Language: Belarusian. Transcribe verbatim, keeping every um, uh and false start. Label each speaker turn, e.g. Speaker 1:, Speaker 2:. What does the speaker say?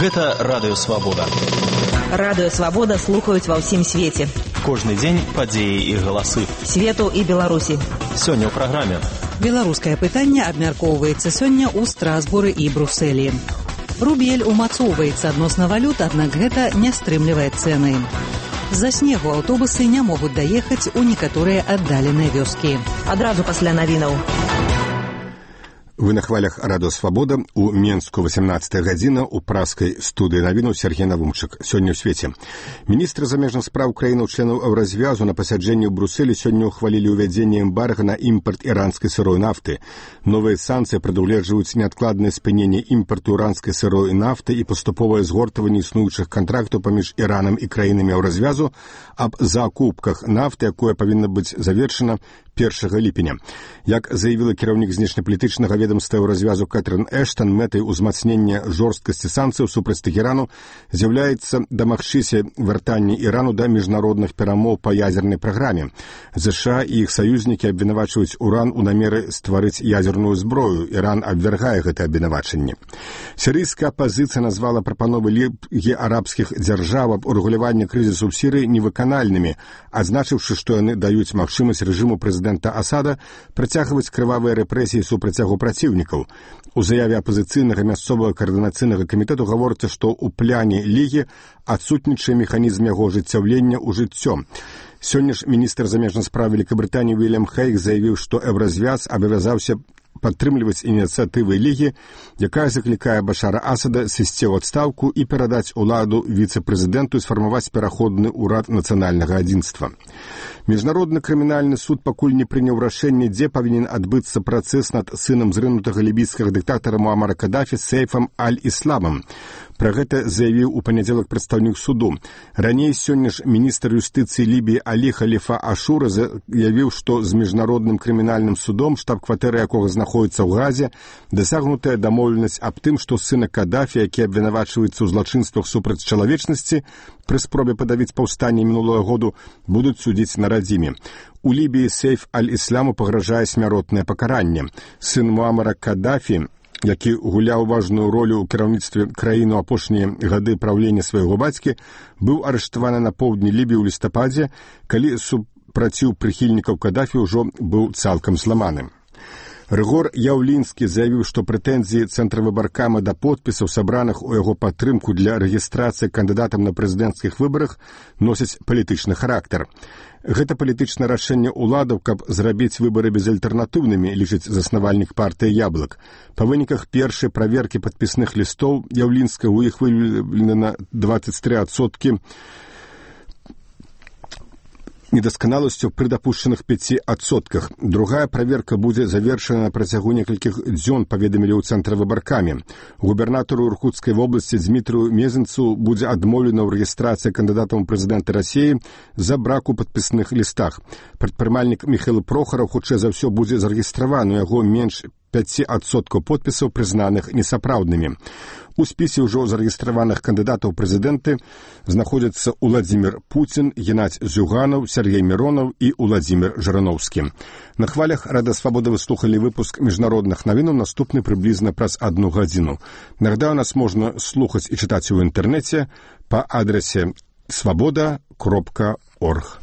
Speaker 1: Гэта Радыё Свабода.
Speaker 2: Радыё Свабода слухаюць ва ўсім свеце.
Speaker 1: Кожны дзень падзеі і галасы.
Speaker 2: Свету і Беларусі.
Speaker 1: Сёння ў праграме.
Speaker 3: Беларускае пытанне абмяркоўваецца сёння ў Страсбуры і Брусэлі. Рубель умацоўваецца адносна валют, аднак гэта не стрымлівае цэны. З-за снегу аўтобусы не могуць даехаць у некаторыя аддаленыя вёскі.
Speaker 2: Адразу пасля навінаў.
Speaker 4: Вы на хвалях Радыё Свабода. У Менску восемнадцатая гадзіна, у праскай студыі навінаў Сергей Навумчык. Сёння ў свеце. Міністры замежных спраў краінаў членаў Еўразвязу на пасяджэнні ў Брусэлі сёння ўхвалілі ўвядзенне эмбарга на імпарт іранскай сырой нафты. Новыя санкцыі прадугледжваюць неадкладнае спыненне імпарту іранскай сырой нафты і паступовае згортванне існуючых кантрактаў паміж Іранам і краінамі Еўразвязу аб закупках нафты, якое павінна быць завершана першага ліпеня. Як заявіла кіраўнік знешнепалітычнага ведомства Еўразвязу Кэтрын Эштон, мэтай узмацнення жорсткасці санкцыяў супраць Тэхерану з'яўляецца дамагчыся вяртання Ірану да міжнародных перамоў па ядзернай праграме. ЗША і іх саюзнікі абвінавачваюць Уран у намеры стварыць ядзерную зброю. Іран абвяргае гэта абвінавачанне. Сірыйская апазіцыя назвала прапановы Лігі арабскіх дзяржаў аб урэгуляванні крызісу ў Сірыі невыканальнымі, адзначыўшы, што яны даюць магчымасць рэжыму прэзідэнта Асада працягваць крывавыя рэпрэсіі супраць яго праціўнікаў. У заяве апазіцыйнага мясцовага каардынацыйнага камітэту гаворыцца, што ў пляне Лігі адсутнічае механізм яго ажыццяўлення ў жыццё. Сёння ж міністр замежных спраў Вялікабрытаніі Уільям Хейг заявіў, што Еўразвяз абавязаўся падтрымліваць ініцыятывы Лігі, якая заклікае Башара Асада сысці ў адстаўку і перадаць уладу віцэ-прэзідэнту і сфармаваць пераходны ўрад нацыянальнага адзінства. Міжнародны крымінальны суд пакуль не прыняў рашэнне, дзе павінен адбыцца працэс над сынам зрынутага лібійскага дыктатара Муамара Кадафі Сейфам Аль-Ісламам. Пра гэта заявіў у панядзелак прадстаўнік суду. Раней сёння ж міністр юстыцыі Лібіі Алі Халіфа Ашура заявіў, што з міжнародным крымінальным судом, штаб-кватэры якога знаходіцца ў Газе, дасягнутая дамоўленасць аб тым, што сына Кадафі, які абвінавачваецца ў злачынствах супраць чалавечнасці, пры спробе падавіць паўстанне мінулага году, будуць судзіць на радзіме. У Лібіі Сейф Аль-Ісламу пагражае смяротнае пакаранне. Сын Муамара Кадафі, які гуляў важную ролю ў кіраўніцтве краіны ў апошнія гады праўлення свайго бацькі, быў арыштаваны на поўдні Лібіі ў лістападзе, калі супраціў прыхільнікаў Кадафі ўжо быў цалкам зламаны. Рыгор Яўлінскі заявіў, што прэтэнзіі Цэнтра выбаркама да подпісаў, сабраных у яго падтрымку для рэгістрацыі кандыдатам на прэзідэнцкіх выбарах, носяць палітычны характар. Гэта палітычнае рашэнне ўладаў, каб зрабіць выбары безальтэрнатыўнымі, лічыць заснавальнік партыі «Яблык». Па выніках першай праверкі падпісных лістоў Яўлінска у іх выяўлена дваццаць тры адсоткі недасканаласцю пры дапушчаных пяці адсотках. Другая праверка будзе завершана на працягу некалькіх дзён, паведамілі ў Цэнтры выбаркамі. Губернатару Іркутскай вобласці Дзмітрыю Мезенцу будзе адмоўлена ў рэгістрацыі кандыдатам у прэзідэнты Расіі за брак у падпісных лістах. Прадпрымальнік Міхаіл Прохараў хутчэй за ўсё будзе зарэгістраваны, у яго менш пяці адсоткаў подпісаў прызнаных несапраўднымі. У спісе ўжо зарэгістраваных кандыдатаў прэзідэнты знаходзяцца Уладзімір Пуцін, Геннадзь Зюганаў, Сергей Міронаў і Уладзімір Жыраноўскі. На хвалях Радыё Свабода вы слухалі выпуск міжнародных навінаў, наступны прыблізна праз адну гадзіну. Нагадаю, нас можна слухаць і чытаць у інтэрнэце па адрасе свабода кропка орг.